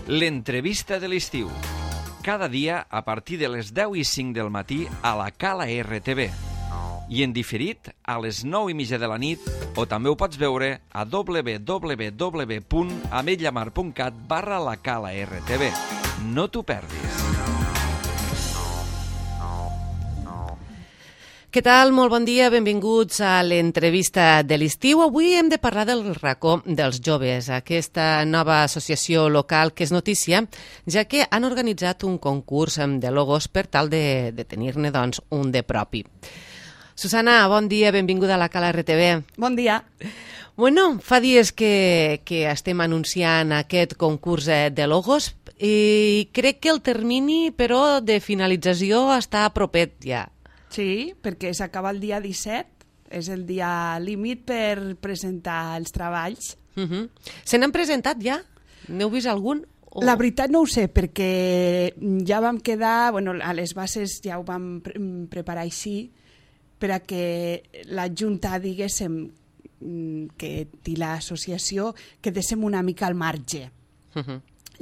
L'entrevista de l'estiu. Cada dia a partir de les 10:05 del matí a la Cala RTV. I en diferit a les 9:30 de la nit, o també ho pots veure a www.ametlllamar.cat/la Cala RTV. No t'ho perdis. Què tal? Molt bon dia, benvinguts a l'entrevista de l'estiu. Avui hem de parlar del racó dels joves, aquesta nova associació local que és notícia, ja que han organitzat un concurs de logos per tal de tenir-ne doncs, un de propi. Susana, bon dia, benvinguda a la Cala RTV. Bon dia. Bueno, fa dies que estem anunciant aquest concurs de logos i crec que el termini, però, de finalització està propet ja. Sí, perquè s'acaba el dia 17, és el dia límit per presentar els treballs. Se n'han presentat ja? N'heu vist algun? La veritat no ho sé, perquè ja vam quedar, bueno, a les bases ja ho vam preparar així, per a que la Junta, diguéssim, que té l'associació, quedéssim una mica al marge.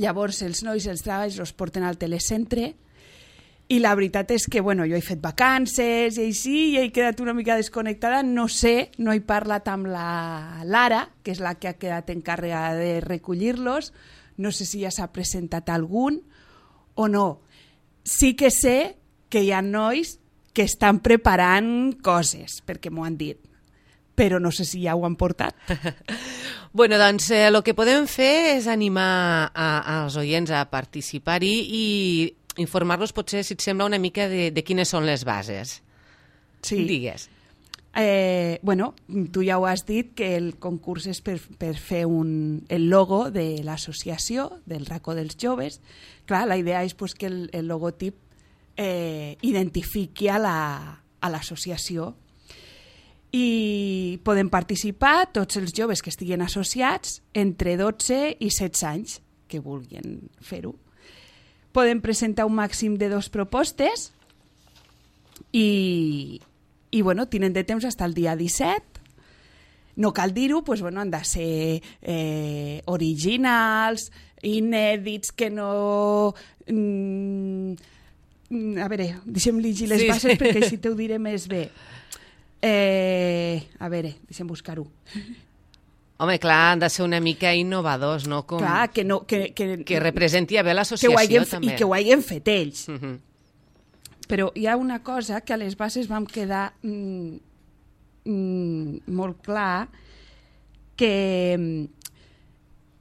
Llavors, els nois els treballs els porten al telecentre, i la veritat és que, bueno, jo he fet vacances i així, i he quedat una mica desconnectada, no sé, no he parlat amb la Lara, que és la que ha quedat encarregada de recollir-los, no sé si ja s'ha presentat algun o no. Sí que sé que hi ha nois que estan preparant coses, perquè m'ho han dit, però no sé si ja ho han portat. Bueno, doncs el que podem fer és animar als oients a participar-hi i informar-los potser, si et sembla, una mica de quines són les bases. Sí. Digues. Bueno, tu ja ho has dit, que el concurs és per fer el logo de l'associació, del racó dels joves. Clar, la idea és pues, que el logotip identifiqui a l'associació. I poden participar tots els joves que estiguin associats entre 12 i 16 anys que vulguin fer-ho. Poden presentar un màxim de 2 propostes i bueno, tenen de temps fins al dia 17. No cal dir-ho, doncs, bueno, han de ser originals, inèdits, que no... a veure, deixem llegir les bases perquè així t'ho diré més bé. A veure, deixem buscar-ho. Home, clar, han de ser una mica innovadors, no? Com... Clar, que representi bé l'associació, també. I que ho hagin fet ells. Però hi ha una cosa que a les bases vam quedar molt clar, que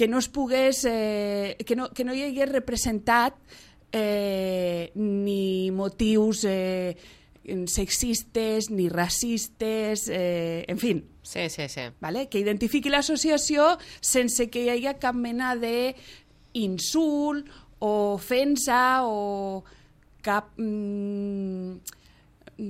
no es pogués... que no hi hagués representat ni motius sexistes, ni racistes, en fi. Sí. Vale? Que identifiqui l'associació sense que hi hagi cap mena d'insult o ofensa o cap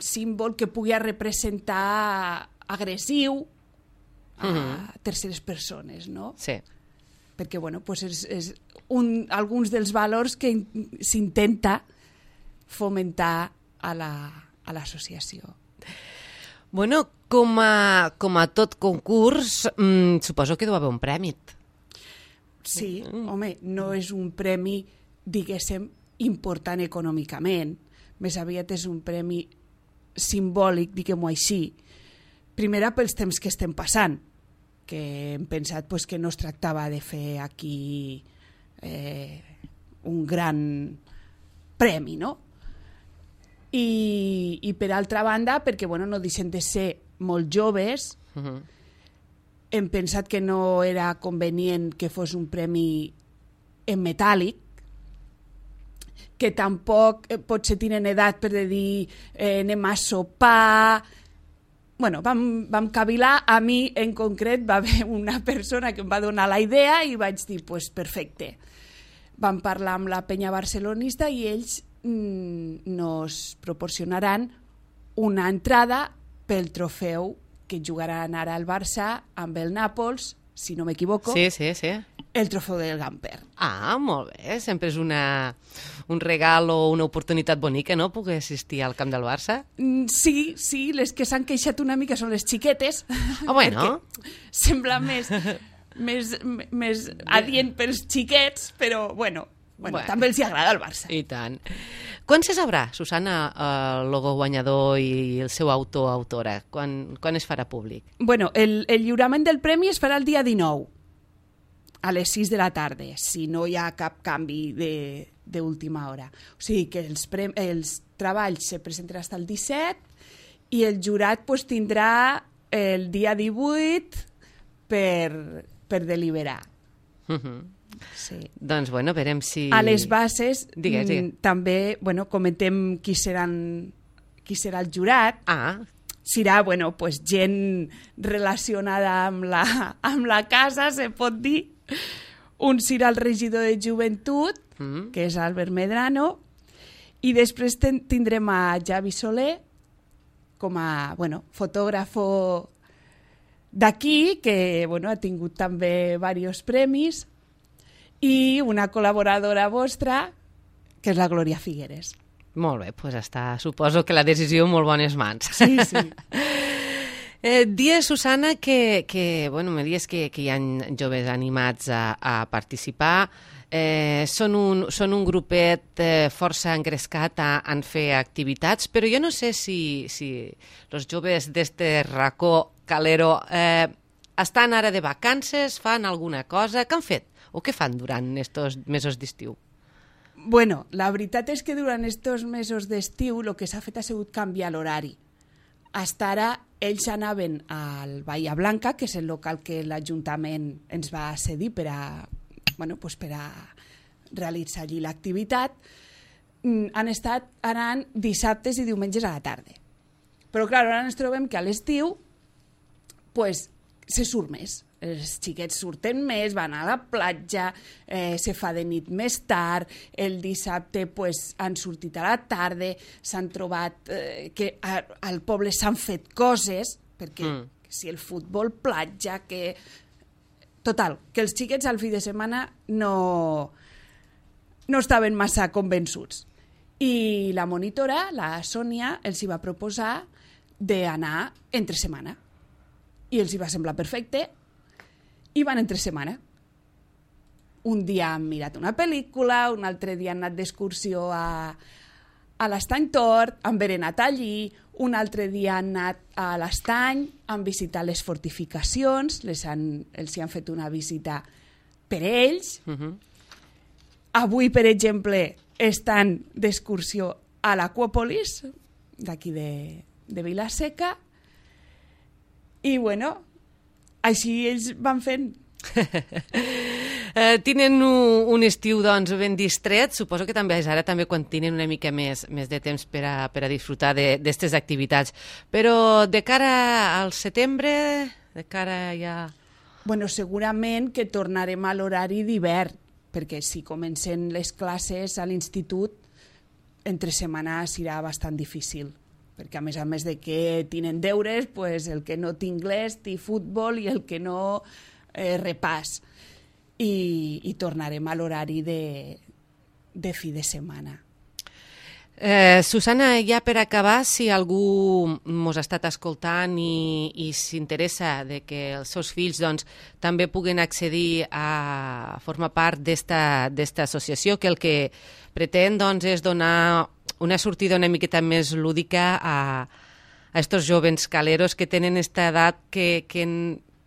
símbol que pugui representar agressiu a terceres persones, no? Sí. Perquè, bueno, pues és alguns dels valors que s'intenta fomentar a l'associació. Bueno, com a tot concurs, suposo que deu haver un premi. Sí, home, no és un premi, diguéssim, important econòmicament. Més aviat és un premi simbòlic, diguem-ho així. Primera, pels temps que estem passant, que hem pensat pues, que no es tractava de fer aquí un gran premi, no? I per altra banda, perquè bueno, no deixen de ser molt joves, hem pensat que no era convenient que fos un premi en metàl·lic, que tampoc potser tenen edat per dir anem a sopar. Bueno, vam cavilar. A mi en concret va haver una persona que em va donar la idea i vaig dir, pues, perfecte. Vam parlar amb la penya barcelonista i ells nos proporcionaran una entrada pel trofeu que jugaran ara al Barça amb el Nàpols, si no m'equivoco. Sí. El trofeu del Gamper. Ah, molt bé. Sempre és un regal o una oportunitat bonica, no?, poder assistir al camp del Barça. Sí, les que s'han queixat una mica són les xiquetes. Ah, bueno. Sembla més més adient pels xiquets, però, bueno, també els hi agrada el Barça. I tant. Quan se sabrà, Susana, el logo guanyador i el seu autor o autora? Quan es farà públic? Bueno, el lliurament del premi es farà el dia 19, a les 6 de la tarda, si no hi ha cap canvi d'última hora. O sigui que els treballs se presentaran fins al 17 i el jurat pues, tindrà el dia 18 per deliberar. Sí. Doncs, bueno, verem si... A les bases digues. també, bueno, comentem qui serà el jurat. Serà, bueno, pues, gent relacionada amb la casa, se pot dir. Un serà el regidor de joventut, que és Albert Medrano, i després tindrem a Javi Soler com a, bueno, fotògrafo d'aquí, que, bueno, ha tingut també diversos premis, i una col·laboradora vostra, que és la Glòria Figueres. Molt bé, doncs suposo que la decisió en molt bones mans. Sí, sí. Dies, Susana, que bueno, me dius que hi ha joves animats a participar. Són un grupet força engrescat en fer activitats, però jo no sé si els joves d'este racó calero estan ara de vacances, fan alguna cosa. Què han fet? O què fan durant aquests mesos d'estiu? Bueno, la veritat és que durant aquests mesos d'estiu el que s'ha fet ha sigut canviar l'horari. Hasta ara ells anaven al Bahia Blanca, que és el local que l'Ajuntament ens va cedir per a realitzar allí l'activitat. Han estat anant dissabtes i diumenges a la tarda. Però clar, ara ens trobem que a l'estiu pues, se surt més. Els xiquets surten més, van a la platja, se fa de nit més tard, el dissabte pues, han sortit a la tarda, s'han trobat que al poble s'han fet coses, perquè si el futbol, platja, que... Total, que els xiquets al fi de setmana no estaven massa convençuts. I la monitora, la Sònia, els hi va proposar d'anar entre setmana. I els hi va semblar perfecte, i van entre setmana. Un dia han mirat una pel·lícula, un altre dia han anat d'excursió a l'Estany Tort, han berenat allí, un altre dia han anat a l'Estany, han visitat les fortificacions, els hi han fet una visita per ells. Avui, per exemple, estan d'excursió a l'Aquàpolis, d'aquí de Vila-seca, i bueno... Així ells van fent. Tenen un estiu doncs, ben distret, suposo que també és ara també quan tenen una mica més de temps per a disfrutar d'aquestes activitats. Però de cara al setembre, de cara ja... Bueno, segurament que tornarem a l'horari d'hivern, perquè si comencen les classes a l'institut, entre setmana serà bastant difícil. Perquè a més de que tenen deures, pues, el que no té anglès té futbol i el que no repàs. I tornarem a l'horari de fi de setmana. Susana, ja per acabar, si algú mos ha estat escoltant i s'interessa de que els seus fills doncs, també puguen accedir a formar part d'esta associació, que el que pretén doncs, és donar una sortida una miqueta més lúdica a estos jóvens caleros que tenen esta edat que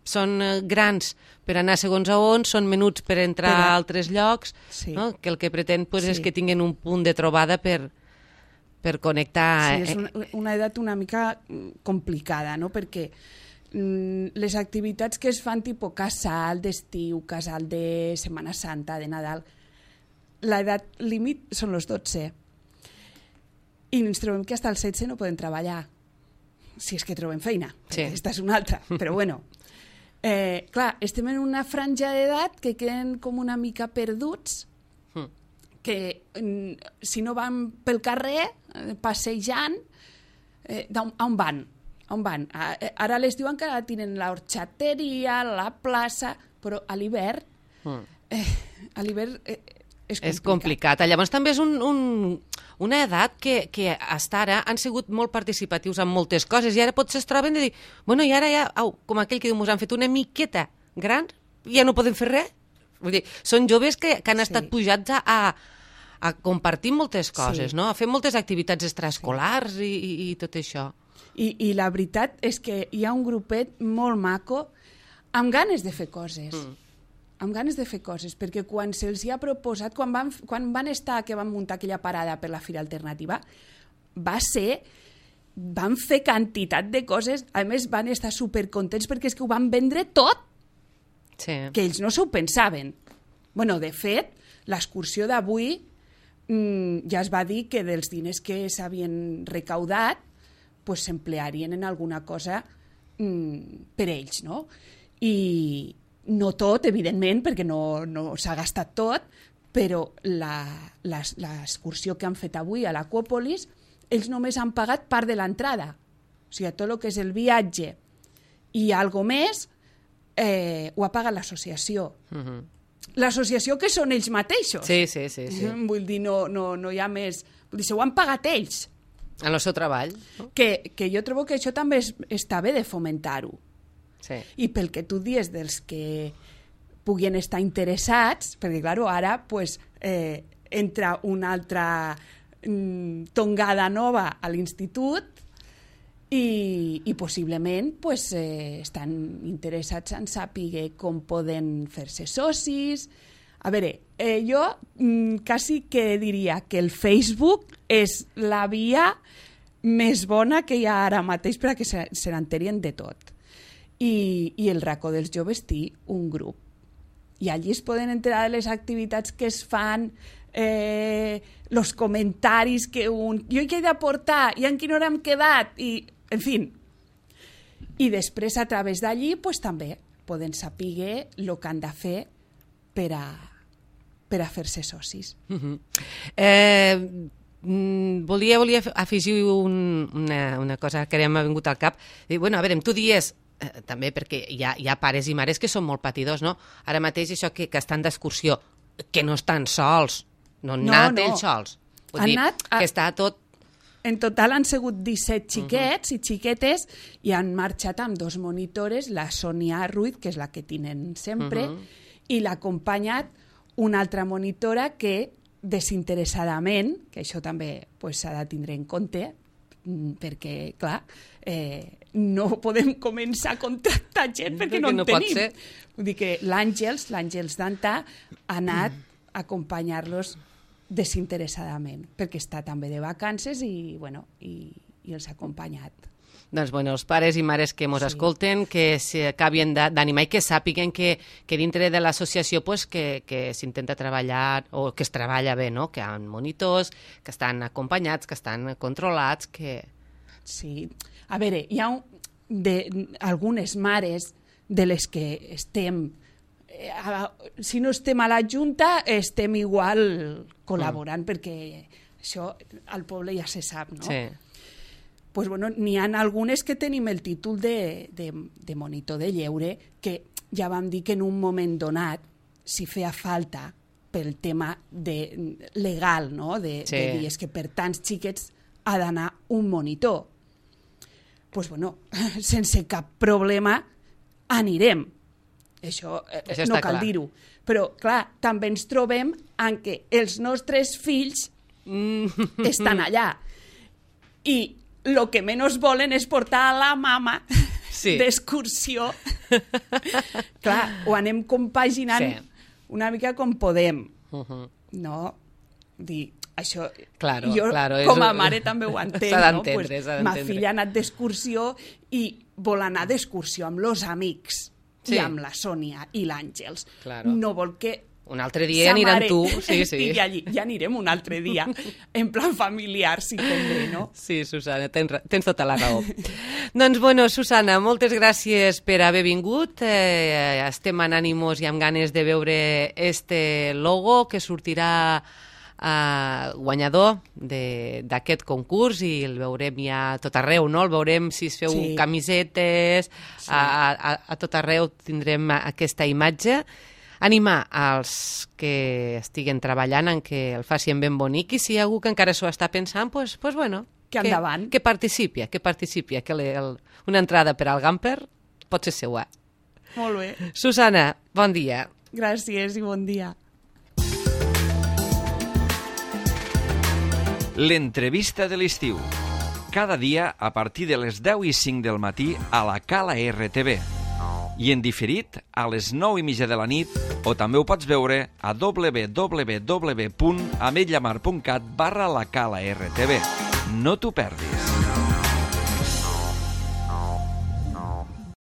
són grans per anar segons a on, són menuts per entrar a altres llocs, sí. No? Que el que pretén pues, és que tinguin un punt de trobada per connectar. Sí, és una edat una mica complicada, no? Perquè les activitats que es fan tipus casal d'estiu, casal de Setmana Santa, de Nadal, l'edat límit són els 12. I ens trobem que fins als 16 no poden treballar, si és que trobem feina. Sí. Aquesta és una altra, però bueno. Clar, estem en una franja d'edat que queden com una mica perduts, que si no van pel carrer, passejant, on van? On van? Ara a l'estiu encara tenen l'orxateria, la plaça, però a l'hivern és complicat. Llavors també és una edat que fins ara han sigut molt participatius en moltes coses i ara potser es troben de dir, bueno, i ara ja, com aquell que diu, mos han fet una miqueta gran ja no podem fer res. Vull dir, són joves que han estat pujats a compartir moltes coses, no? A fer moltes activitats extraescolars i tot això. I la veritat és que hi ha un grupet molt maco amb ganes de fer coses. Amb ganes de fer coses, perquè quan se'ls hi ha proposat, quan van estar, que van muntar aquella parada per la Fira Alternativa, van fer quantitat de coses, a més van estar supercontents perquè és que ho van vendre tot, que ells no s'ho pensaven. Bueno, de fet, l'excursió d'avui ja es va dir que dels diners que s'havien recaudat pues, s'emplearien en alguna cosa per ells, no? I no tot, evidentment, perquè no s'ha gastat tot, però l'excursió que han fet avui a l'Aquàpolis, ells només han pagat part de l'entrada. O sigui, tot el que és el viatge i algo més ho ha pagat l'associació. L'associació que són ells mateixos. Sí. Vull dir, no hi ha més... Vull dir, s'ho han pagat ells. En el seu treball. No? Que jo trobo que això també està bé de fomentar-ho. Sí. I pel que tu dius dels que puguin estar interessats, perquè clar, ara pues, entra una altra tongada nova a l'institut i possiblement pues, estan interessats en saber com poden fer-se socis. A veure, jo quasi que diria que el Facebook és la via més bona que hi ha ara mateix perquè se n'enterien de tot. I el racó dels joves té un grup. I allí es poden enterar de les activitats que es fan, els comentaris que jo hi he d'aportar, i en quina hora hem quedat, i, en fi. I després, a través d'allí, pues, també poden saber el que han de fer per a fer-se socis. Volia afegir una cosa que m'ha vingut al cap. Bueno, a veure, tu dies també perquè hi ha pares i mares que són molt patidors, no? Ara mateix això que estan d'excursió, que no estan sols, no han anat ells sols. Vull dir, que està tot... En total han sigut 17 xiquets i xiquetes i han marxat amb 2 monitores, la Sònia Ruiz, que és la que tenen sempre, i l'ha acompanyat una altra monitora que desinteressadament, que això també s'ha de tindre en compte, perquè, clar, no podem començar a contractar gent perquè no en tenim. Vull dir que l'Àngels Danta, ha anat a acompanyar-los desinteressadament, perquè està també de vacances i els ha acompanyat. Doncs, bueno, els pares i mares que ens escolten, que s'acabin d'animar i que sàpiguen que dintre de l'associació que s'intenta treballar, o que es treballa bé, no? Que hi ha monitors, que estan acompanyats, que estan controlats, que... Sí. A veure, hi ha algunes mares de les que estem... si no estem a la Junta, estem igual col·laborant, perquè això al poble ja se sap, no? Sí. Pues bueno, n'hi ha algunes que tenim el títol de monitor de lleure, que ja vam dir que en un moment donat, si feia falta pel tema legal, no? de dir és que per tants xiquets ha d'anar un monitor. Pues bueno, sense cap problema anirem. Això no cal dir-ho. Però, clar, també ens trobem en què els nostres fills estan allà. I el que menys volen és portar a la mama d'excursió. Clar, ho anem compaginant una mica com podem. No? Dir, això, jo com a mare també ho entenc. No? Pues, ma filla ha anat d'excursió i vol anar d'excursió amb els amics i amb la Sònia i l'Àngels. No vol que un altre dia aniran tu. Estigui allí. Ja anirem un altre dia, en plan familiar, si convé, no? Sí, Susana, tens tota la raó. Doncs, bueno, Susana, moltes gràcies per haver vingut. Estem en ànimos i amb ganes de veure este logo que sortirà guanyador d'aquest concurs i el veurem ja a tot arreu, no? El veurem si es feu camisetes, a tot arreu tindrem aquesta imatge. Animar als que estiguen treballant en que el facin ben bonic i si hi ha algú que encara s'ho està pensant, pues bueno, que endavant. Que participi, que una entrada per al Gamper pot ser seua. Molt bé. Susana, Bon dia. Gràcies i bon dia. L'entrevista de l'estiu. Cada dia a partir de les 10:05 del matí a la Cala RTV. I en diferit a les 9:30 de la nit, o també ho pots veure a www.ametlllamar.cat/la Cala RTV. No t'ho perdis.